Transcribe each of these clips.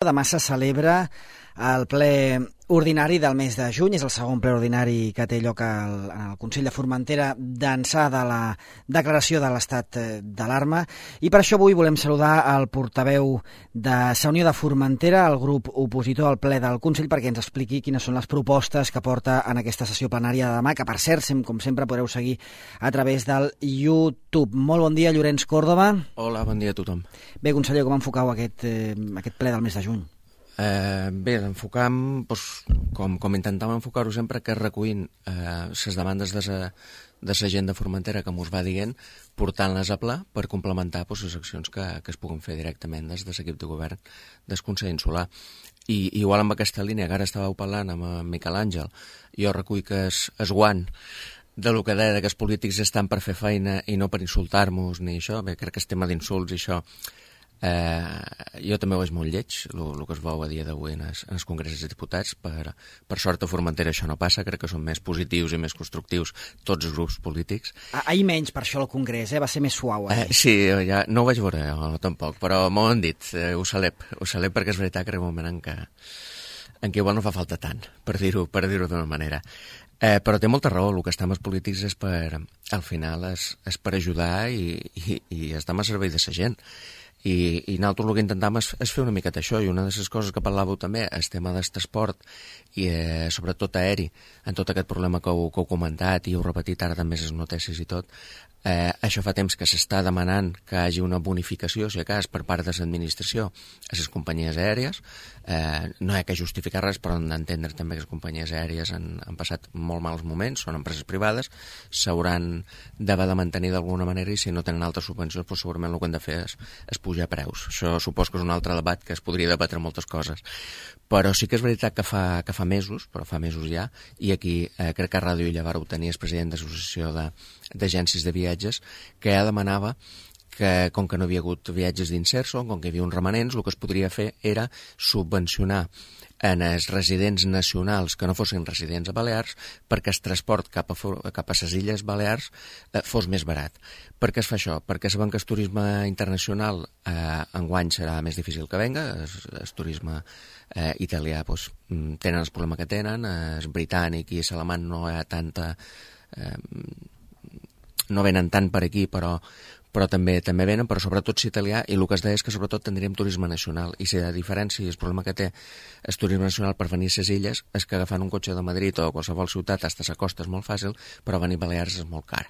Demà se celebra el ple ordinari del mes de juny, és el segon ple ordinari que té lloc en el Consell de Formentera d'ençà de la declaració de l'estat d'alarma, i per això avui volem saludar el portaveu de Sa Unió de Formentera, el grup opositor al ple del Consell, perquè ens expliqui quines són les propostes que porta en aquesta sessió plenària de demà, que per cert, com sempre, podreu seguir a través del YouTube. Molt bon dia, Llorenç Còrdova. Hola, bon dia a tothom. Bé, conseller, com enfocau aquest ple del mes de juny? Bé, l'enfocam, com intentàvem enfocar-ho sempre, que recollint les demandes de la gent de Formentera que mos va dient, portant-les a pla per complementar les accions que es puguen fer directament des de l'equip de govern del Consell Insular. I igual amb aquesta línia que ara estàveu parlant amb Miquel Àngel, jo recull que es guant de lo que deia que els polítics estan per fer feina i no per insultar-nos ni això. Bé, crec que el tema d'insults i això jo també ho veig molt lleig, el que es veu a dia d'avui en els congressos de diputats. Per sort a Formentera això no passa, crec que són més positius i més constructius tots els grups polítics. Ahir menys per això al Congrés, va ser més suau. Sí, ja no ho vaig veure jo tampoc, però m'ho han dit, ho celeb perquè és veritat que era un moment en què igual no fa falta tant, per dir-ho d'una manera. Però té molta raó, el que estem els polítics és al final és per ajudar i estem a servei de la gent. I nosaltres el que intentam és fer una miqueta això, i una de les coses que parlàveu també, el tema del transport, i sobretot aeri, en tot aquest problema que heu comentat, i heu repetit ara també les notícies i tot, això fa temps que s'està demanant que hi hagi una bonificació, si a cas, per part de l'administració a les companyies aèries. No hi ha que justificar res, però hem d'entendre també que les companyies aèries han passat molt mals moments, són empreses privades, s'hauran d'haver de mantenir d'alguna manera, i si no tenen altres subvencions, doncs segurament el que han de fer és pujar preus. Això supos que és un altre debat que es podria debatre moltes coses. Però sí que és veritat que fa mesos, ja, i aquí crec que a Ràdio Illa vàreu tenir el president de l'Associació d'Agències de Viatges, que ja demanava que, com que no havia hagut viatges d'inserso, com que hi havia uns remanents, el que es podria fer era subvencionar en els residents nacionals que no fossin residents a Balears perquè el transport cap a les Illes Balears fos més barat. Per què es fa això? Perquè sabem que el turisme internacional enguany serà més difícil que venga. El turisme italià tenen el problema que tenen, el britànic i l'alemany no hi ha tanta... no venen tant per aquí, però també venen, però sobretot l'italià, i el que es deia és que sobretot tindríem turisme nacional, i si a diferència el problema que té el turisme nacional per venir a les illes és que agafant un cotxe de Madrid o qualsevol ciutat fins a la costa és molt fàcil, però venir a Balears és molt car.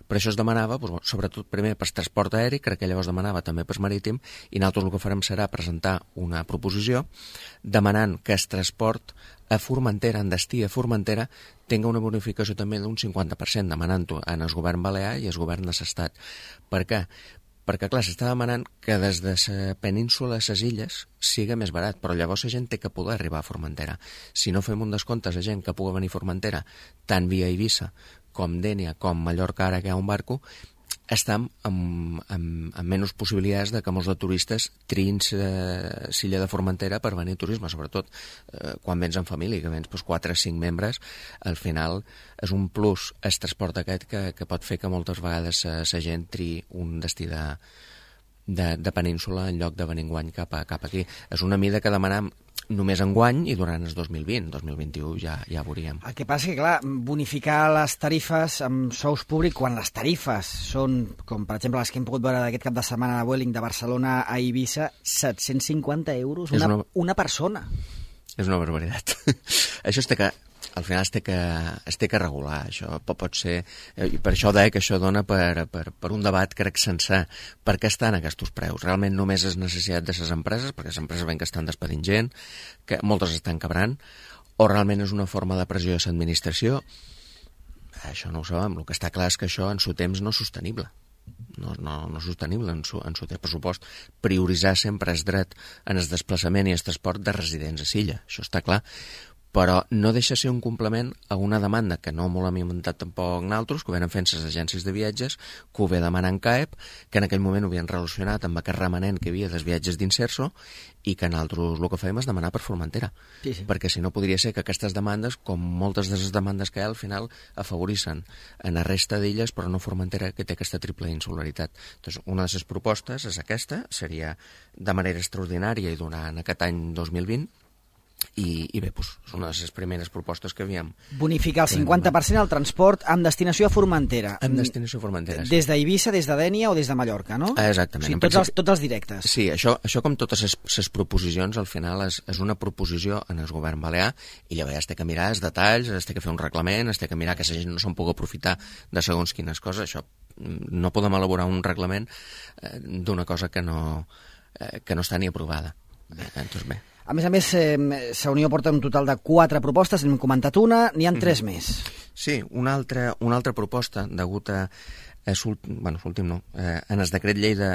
Per això es demanava, sobretot primer per transport aeri, crec que llavors demanava també per marítim, i nosaltres el que farem serà presentar una proposició demanant que el transport a Formentera, en destí a Formentera, tinga una bonificació també d'un 50%, demanant-ho en el govern balear i el govern de l'Estat. Per què? Perquè, clar, s'està demanant que des de la península a les illes siga més barat, però llavors la gent té que poder arribar a Formentera. Si no fem un descompte a la gent que pugui venir a Formentera, tant via Eivissa com Dénia, com Mallorca, ara que hi ha un barco, estem amb menys possibilitats de que molts de turistes triïn l'illa de Formentera per venir a turisme, sobretot quan vens en família, que vens 4 o 5 membres, al final és un plus el transport aquest que pot fer que moltes vegades la gent triï un destí de península en lloc de venir enguany cap aquí. És una mida que demanam només enguany i durant el 2020. 2021 ja veuríem. El que passa és que, clar, bonificar les tarifes amb sous públics, quan les tarifes són, com per exemple les que hem pogut veure d'aquest cap de setmana de Vueling de Barcelona a Eivissa, 750 euros una persona. És una barbaritat. Això al final es té que regular, això pot ser, i per això deia que això dona per un debat, crec, sencer per què estan aquests preus. Realment només és necessitat de les empreses, perquè les empreses ven que estan despedint gent, que moltes estan quebrant, o realment és una forma de pressió de l'administració. Això no ho sabem. El que està clar és que això en su temps no és sostenible. No és sostenible en su pressupost prioritzar sempre el dret en el desplaçament i el transport de residents a l'illa. Això està clar. però no deixa ser un complement a una demanda que no molt hem inventat tampoc naltros, que ho venen fent les agències de viatges, que ho ve demanant CAEP, que en aquell moment ho havien relacionat amb aquest remanent que hi havia dels viatges d'Inserso, i que nosaltres el que fèiem és demanar per Formentera. Sí. Perquè si no podria ser que aquestes demandes, com moltes de les demandes que hi ha, al final afavorissin en la resta d'illes, però no Formentera, que té aquesta triple insularitat. Doncs una de les propostes és aquesta, seria de manera extraordinària i durant aquest any 2020, i bé, doncs, és una de les primeres propostes que havíem... Bonificar el 50% al transport amb destinació a Formentera. Amb destinació a Formentera, sí. Des d'Eivissa, des de Dènia o des de Mallorca, no? Exactament. O sigui, tots els directes. Sí, això com totes les proposicions, al final és una proposició en el govern balear, i llavors has de mirar els detalls, has de fer un reglament, has de mirar que la gent no se'n pugui aprofitar de segons quines coses. Això no podem elaborar un reglament d'una cosa que no està ni aprovada. Doncs bé. A més, la Unió porta un total de 4 propostes, n'hem comentat una, n'hi ha 3 més. Sí, una altra proposta, degut a... l'últim no. En el decret llei de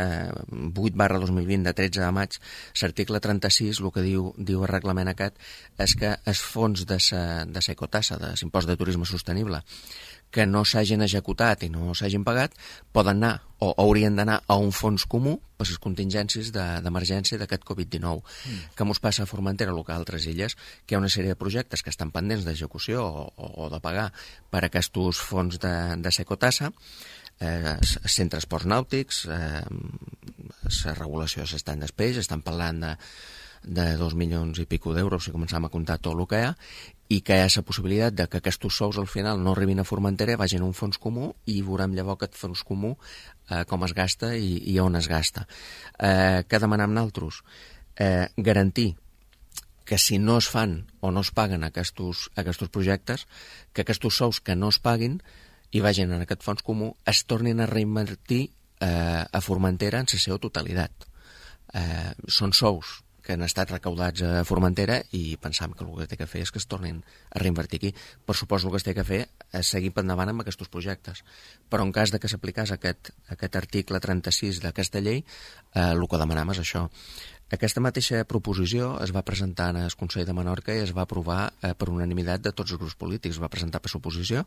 8/2020 de 13 de maig, l'article 36, el que diu el reglament aquest, és que els fons de la ecotassa, de l'impost de turisme sostenible, que no s'hagin executat i no s'hagin pagat, poden anar o haurien d'anar a un fons comú per les contingències d'emergència d'aquest Covid-19. Que mos passa a Formentera, el que a altres illes, que hi ha una sèrie de projectes que estan pendents d'execució o de pagar per aquests fons de secotassa, centres esports nàutics, la regulació s'estan d'espeix, estan parlant de 2 milions i pico d'euros si començam a comptar tot el que hi ha, i que hi ha la possibilitat de que aquests sous al final no arribin a Formentera, vagin a un fons comú i veurem llavors aquest fons comú com es gasta i on es gasta. Què demanem nosaltres? Garantir que si no es fan o no es paguen aquests projectes, que aquests sous que no es paguin i vagin en aquest fons comú es tornin a reinvertir a Formentera en la seva totalitat. Són sous que han estat recaudats a Formentera i pensam que el que té que fer és que es tornin a reinvertir aquí. Per suposo el que es té que fer és seguir endavant amb aquests projectes. Però en cas de que s'aplicés aquest article 36 d'aquesta llei, el que demanem és això. Aquesta mateixa proposició es va presentar en el Consell de Menorca i es va aprovar per unanimitat de tots els grups polítics. Es va presentar per suposició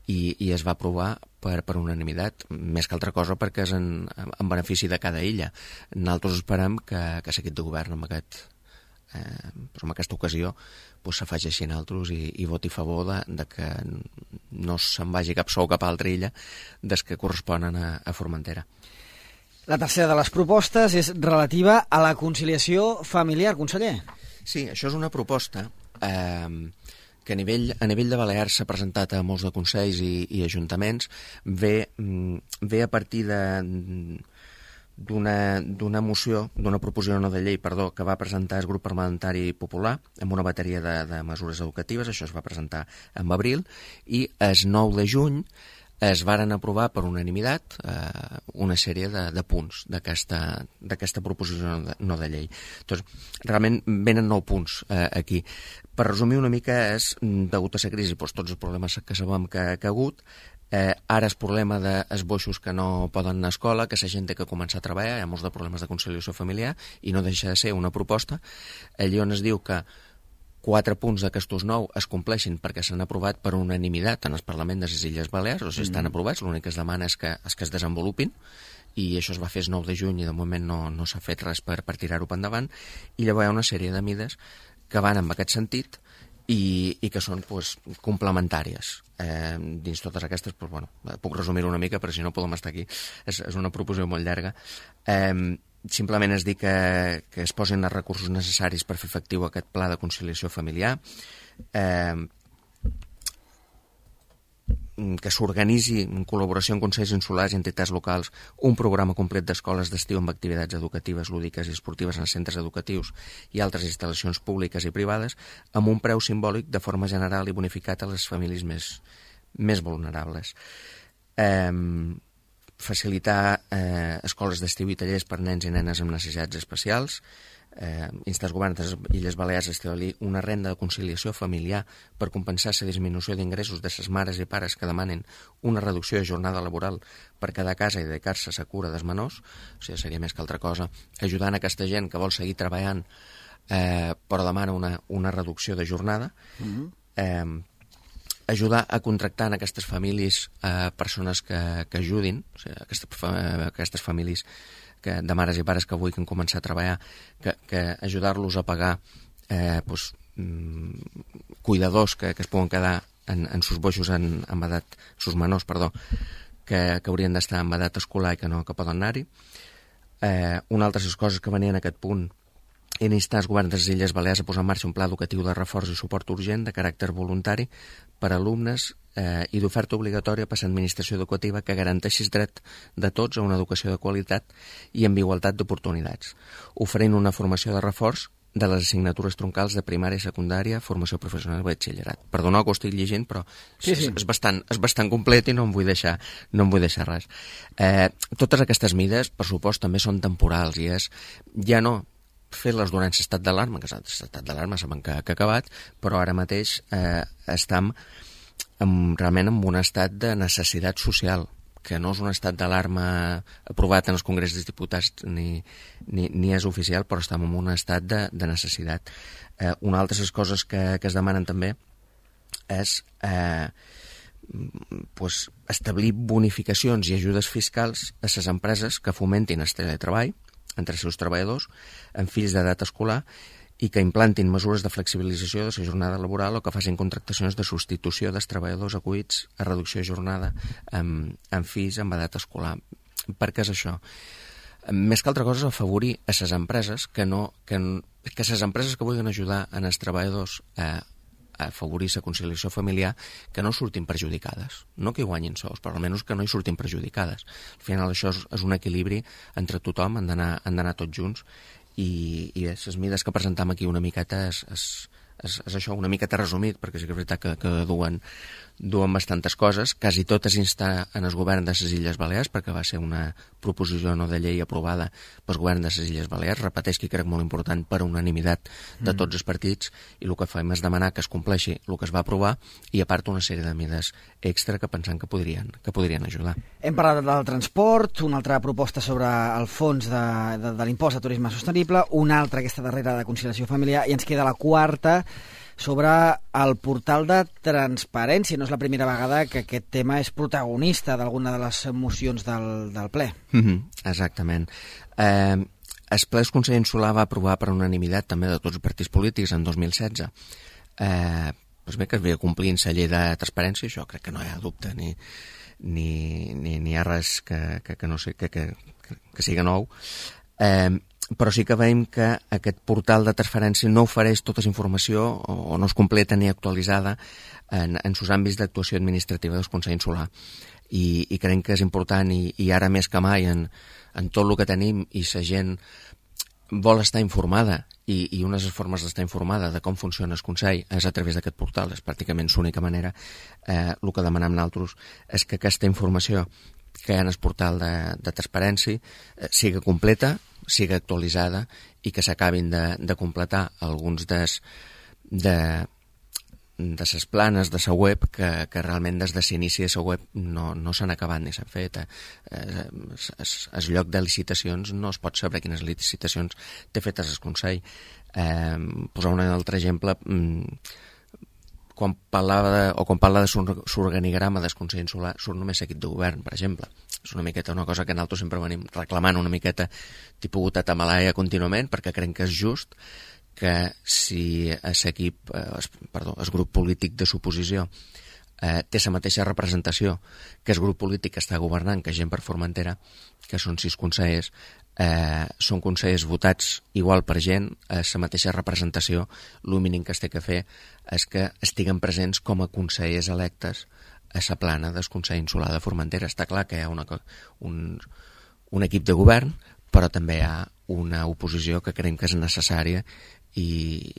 i es va aprovar per unanimitat, més que altra cosa perquè és en benefici de cada illa. Nosaltres esperem que l'equip de govern amb aquesta ocasió s'afegeixi a nosaltres i voti a favor de que no se'n vagi cap sou cap altra illa des que corresponen a Formentera. La tercera de les propostes és relativa a la conciliació familiar, conseller. Sí, això és una proposta que a nivell de Balears s'ha presentat a molts de consells i ajuntaments, ve a partir d'una moció, d'una proposició no de llei, que va presentar el grup parlamentari popular amb una bateria de mesures educatives. Això es va presentar en abril i el 9 de juny es varen aprovar per unanimitat una sèrie de punts d'aquesta proposició no de llei. Doncs, realment venen 9 punts aquí. Per resumir una mica, és degut a la crisi, tots els problemes que sabem que ha hagut, ara el problema dels boixos que no poden anar a escola, que la gent té que començar a treballar, hi ha molts de problemes de conciliació familiar, i no deixa de ser una proposta, allí on es diu que 4 punts d'aquestos 9 es compleixin perquè s'han aprovat per unanimitat en el Parlament de les Illes Balears, o sigui, estan aprovats, l'únic que es demana és que es desenvolupin, i això es va fer el 9 de juny i de moment no s'ha fet res per tirar-ho endavant, i llavors hi ha una sèrie de mides que van en aquest sentit i que són complementàries. Dins totes aquestes, puc resumir-ho una mica, però si no podem estar aquí. És una proposició molt llarga. Simplement es dir que es posin els recursos necessaris per fer efectiu aquest pla de conciliació familiar, que s'organitzi en col·laboració amb consells insulars i entitats locals un programa complet d'escoles d'estiu amb activitats educatives, lúdiques i esportives en centres educatius i altres instal·lacions públiques i privades amb un preu simbòlic de forma general i bonificat a les famílies més vulnerables. Facilitar escoles d'estiu i tallers per nens i nenes amb necessitats especials, instar el govern de les Illes Balears a establir una renda de conciliació familiar per compensar la disminució d'ingressos de les mares i pares que demanen una reducció de jornada laboral per quedar a casa i dedicar-se a la cura dels menors, o sigui, seria més que altra cosa, ajudant aquesta gent que vol seguir treballant però demana una reducció de jornada, ajudar a contractar en aquestes famílies persones que ajudin, o sigui, aquestes famílies de mares i pares que avui que han començat a treballar, que ajudar-los a pagar cuidadors que es poden quedar en sus boixos en edat, sus menors, perdó, que haurien d'estar en edat escolar i que poden anar-hi. Una altra de les coses que venien a aquest punt era instar els governs de les Illes Balears a posar en marxa un pla educatiu de reforç i suport urgent de caràcter voluntari per a alumnes i d'oferta obligatòria per a l'administració educativa que garanteixi el dret de tots a una educació de qualitat i amb igualtat d'oportunitats, oferint una formació de reforç de les assignatures troncals de primària i secundària, formació professional i batxillerat. Perdoneu que ho estic llegint, però sí. És bastant complet i no em vull deixar res. Totes aquestes mides, per supost, també són temporals i és ja no fer-les durant l'estat d'alarma, que l'estat d'alarma sabem que ha acabat, però ara mateix estem realment en un estat de necessitat social, que no és un estat d'alarma aprovat en els Congrés dels Diputats ni és oficial, però estem en un estat de necessitat. Una altra de les coses que es demanen també és establir bonificacions i ajudes fiscals a les empreses que fomentin el teletreball entre els seus treballadors amb fills d'edat escolar i que implantin mesures de flexibilització de la jornada laboral o que facin contractacions de substitució dels treballadors acollits a reducció de jornada amb fills amb edat escolar. Per què és això? Més que altra cosa és afavorir a les empreses que les empreses que vulguin ajudar els treballadors a afavorir la conciliació familiar que no surtin perjudicades, no que guanyin sous, però almenys que no hi surtin perjudicades. Al final això és un equilibri entre tothom, han d'anar tots junts i les mides que presentam aquí una miqueta és això, una miqueta resumit, perquè sí que és veritat que duen bastantes coses, quasi totes instar en el govern de les Illes Balears, perquè va ser una proposició no de llei aprovada pel govern de les Illes Balears, repeteix que crec molt important per unanimitat de tots els partits, i el que fem és demanar que es compleixi el que es va aprovar i a part una sèrie de mides extra que pensem que podrien ajudar. Hem parlat del transport, una altra proposta sobre el fons de l'impost de turisme sostenible, una altra, aquesta darrera de conciliació familiar, i ens queda la quarta, sobre el portal de transparència. No és la primera vegada que aquest tema és protagonista d'alguna de les mocions del ple. Exactament. El ple del Consell Insular va aprovar per unanimitat també de tots els partits polítics en 2016 doncs bé, que es veia complint la llei de transparència, això crec que no hi ha dubte ni hi ha res que no sé, que sigui nou. Però sí que veiem que aquest portal de transferència no ofereix tota la informació o no és completa ni actualitzada en els àmbits d'actuació administrativa del Consell Insular. I creiem que és important i ara més que mai en tot el que tenim i la gent vol estar informada i una de les formes d'estar informada de com funciona el Consell és a través d'aquest portal, és pràcticament l'única manera. El que demanem nosaltres és que aquesta informació que hi ha en el portal de transparència siga completa, siga actualitzada i que s'acabin de completar alguns de les planes de la web que realment des de l'inici de la web no s'han acabat ni s'han fet. El lloc de licitacions no es pot saber quines licitacions té fetes el Consell. Posar un altre exemple, quan parla de l'organigrama del Consell Insular surt només l'equip de govern, per exemple. És una miqueta una cosa que nosaltres sempre venim reclamant una miqueta tipus Guatamalaya contínuament, perquè creiem que és just que si el grup polític de l'oposició té la mateixa representació que el grup polític que està governant, que és gent per Formentera, que són 6 consellers, són consellers votats igual per gent, la mateixa representació, el mínim que es té que fer és que estiguen presents com a consellers electes a la plana del Consell Insular de Formentera. Està clar que hi ha un equip de govern, però també hi ha una oposició que creiem que és necessària i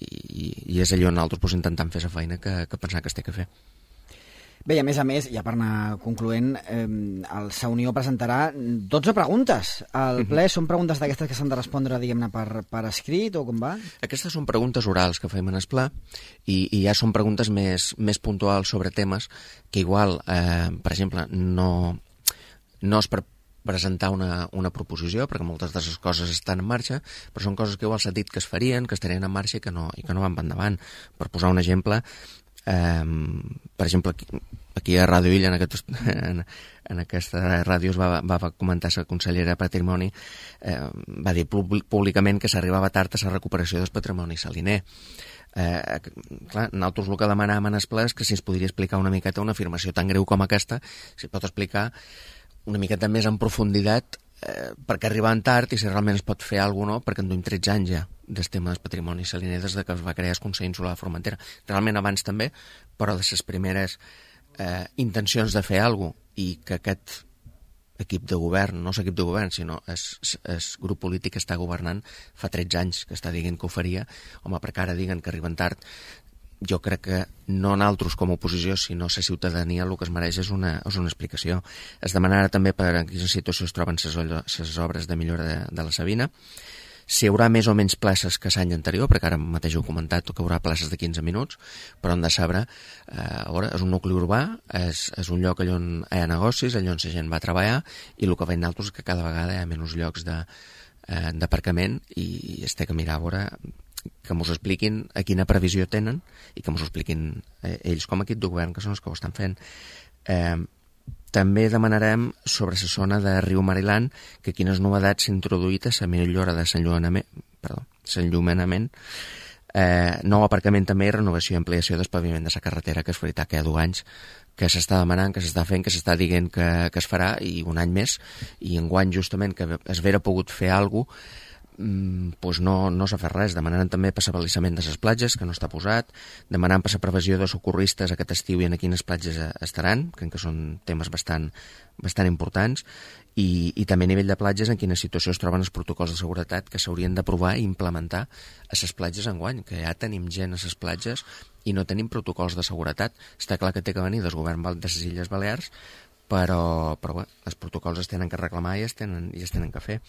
és allò on nosaltres intentem fer la feina que pensem que es té que fer. Bé, i a més, ja per anar concloent, la Unió presentarà 12 preguntes al ple. Són preguntes d'aquestes que s'han de respondre, diguem-ne, per escrit o com va? Aquestes són preguntes orals que fem en el ple i ja són preguntes més puntuals sobre temes que igual, per exemple, no és per presentar una proposició, perquè moltes de les coses estan en marxa, però són coses que igual s'ha dit que es farien, que estarien en marxa i que no van endavant. Per posar un exemple, per exemple, aquí a Ràdio Illa, en aquesta ràdio es va comentar la consellera de Patrimoni, va dir públicament que s'arribava tard a la recuperació del patrimoni saliner. Clar, nosaltres el que demanàvem en el ple és que si es podria explicar una miqueta una afirmació tan greu com aquesta, si pot explicar una miqueta més en profunditat perquè arribaven tard i si realment es pot fer alguna cosa, perquè en duim 13 anys ja del tema del patrimoni saliner des que es va crear el Consell Insular de Formentera. Realment abans també, però de les primeres intencions de fer alguna cosa i que aquest equip de govern, no l'equip de govern, sinó el grup polític que està governant fa 13 anys que està dient que ho faria, home, perquè ara diguen que arriben tard, jo crec que no nosaltres com a oposició, sinó la ciutadania el que es mereix és una explicació. Es demanarà també per en quina situació es troben les obres de millora de la Sabina, si hi haurà més o menys places que l'any anterior, perquè ara mateix ho he comentat que hi haurà places de 15 minuts, però hem de saber, és un nucli urbà, és un lloc on hi ha negocis, allà on la gent va treballar, i el que veiem nosaltres és que cada vegada hi ha menys llocs d'aparcament i es té que mirar a veure que ens expliquin a quina previsió tenen i que ens expliquin ells com a equip de govern, que són els que ho estan fent. També demanarem sobre la zona de Riu Mariland que quines novetats s'ha introduït a la millora de l'enllumenament, nou aparcament també i renovació i ampliació del paviment de la carretera, que és veritat que hi ha 2 anys que s'està demanant, que s'està fent, que s'està dient que es farà, i un any més, i enguany justament que es vera pogut fer alguna cosa, doncs no s'ha fet res. Demanant també per l'abalisament de les platges, que no està posat, demanant per la previsió de socorristes aquest estiu i en quines platges estaran, que són temes bastant importants, i també a nivell de platges en quina situació es troben els protocols de seguretat que s'haurien d'aprovar i implementar a les platges enguany, que ja tenim gent a les platges i no tenim protocols de seguretat. Està clar que té que venir del govern de les Illes Balears, però bé, els protocols es tenen que reclamar i es tenen que fer.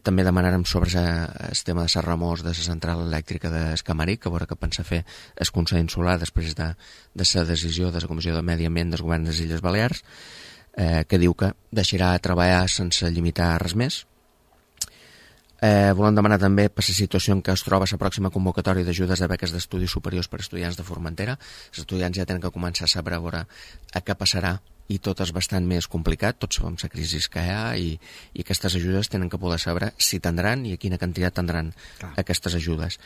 També demanarem sobre el tema de les remors de la central elèctrica d'Escamaric, que veurà què pensa fer el Consell Insular després de la decisió de la Comissió de Medi Ambient del Govern de les Illes Balears, que diu que deixarà treballar sense limitar res més. Volem demanar també per la situació en què es troba la pròxima convocatòria d'ajudes de beques d'estudis superiors per a estudiants de Formentera. Els estudiants ja tenen que començar a saber a què passarà, i tot és bastant més complicat, tots sabem la crisi que hi ha, i aquestes ajudes tenen que poder saber si tindran i a quina quantitat tindran aquestes ajudes.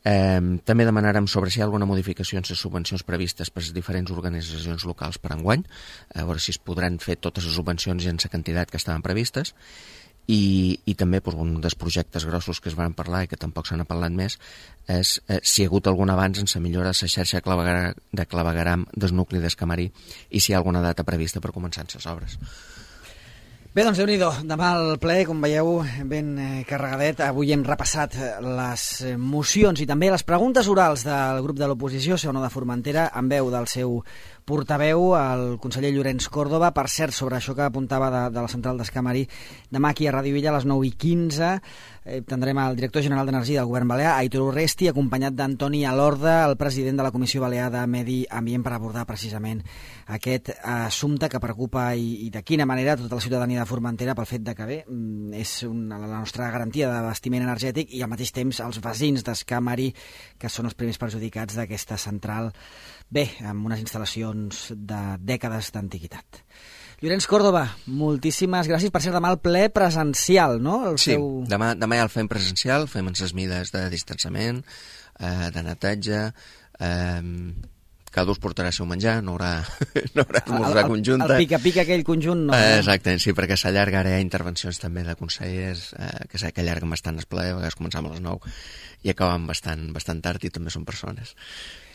També demanarem sobre si hi ha alguna modificació en les subvencions previstes per les diferents organitzacions locals per enguany, a veure si es podran fer totes les subvencions i en la quantitat que estaven previstes, i també un dels projectes grossos que es van parlar i que tampoc se n'ha parlat més és si hi ha hagut algun avanç en la millora de la xarxa de clavegueram del nucli d'Escamarí i si hi ha alguna data prevista per començar les obres. Bé, doncs Déu-n'hi-do, demà el ple, com veieu, ben carregadet. Avui hem repassat les mocions i també les preguntes orals del grup de l'oposició, Seu de Formentera, en veu del seu portaveu, el conseller Llorenç Córdoba. Per cert, sobre això que apuntava de la central d'Escamarí, demà aquí a Ràdio Illa a les 9:15 tindrem el director general d'Energia del Govern Balear, Aitor Urresti, acompanyat d'Antoni Alorda, el president de la Comissió Balear de Medi Ambient, per abordar precisament aquest assumpte que preocupa i de quina manera tota la ciutadania de Formentera pel fet de que bé, és la nostra garantia d'abastiment energètic i al mateix temps els veïns d'Escamarí, que són els primers perjudicats d'aquesta central, bé, amb unes instal·lacions de dècades d'antiguitat. Llorenç Córdoba, moltíssimes gràcies. Per ser demà el ple presencial, no? Demà ja el fem presencial, fem les mides de distanciament, de netatge, cada us portarà el seu menjar, no haurà esmorzar conjunta. El pica-pica aquell conjunt no. Exacte, sí, perquè s'allarga, ara hi ha intervencions també de consellers, que allarguen bastant el ple, a vegades començam a les 9 i acabem bastant tard i també són persones.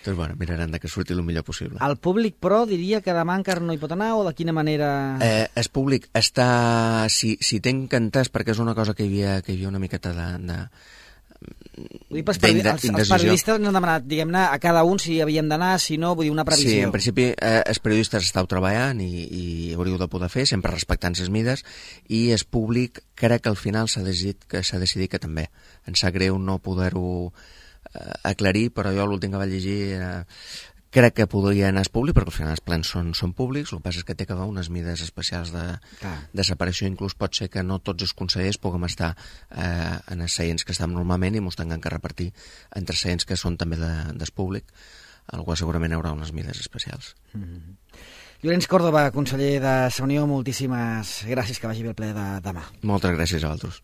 Doncs bueno, mirarem que surti el millor possible. El públic, però, diria que demà encara no hi pot anar o de quina manera? El públic està, si tenc entès, perquè és una cosa que hi havia una miqueta els periodistes ens han demanat, diguem-ne, a cada un si havíem d'anar, si no, vull dir, una previsió. Sí, en principi els periodistes esteu treballant i hauríeu de poder fer, sempre respectant les mides, i el públic crec que al final s'ha decidit que també. Em sap greu no poder-ho aclarir, però jo l'últim que vaig llegir era crec que podria anar públic, perquè al final els plens són públics, el que passa és que té que haver unes mides especials de separació, inclús pot ser que no tots els consellers puguem estar en els seients que estem normalment i mos tinguem que repartir entre seients que són també del públic, al qual segurament hi haurà unes mides especials. Llorenç Córdoba, conseller de Unió, moltíssimes gràcies, que vagi bé el ple de demà. Moltes gràcies a vosaltres.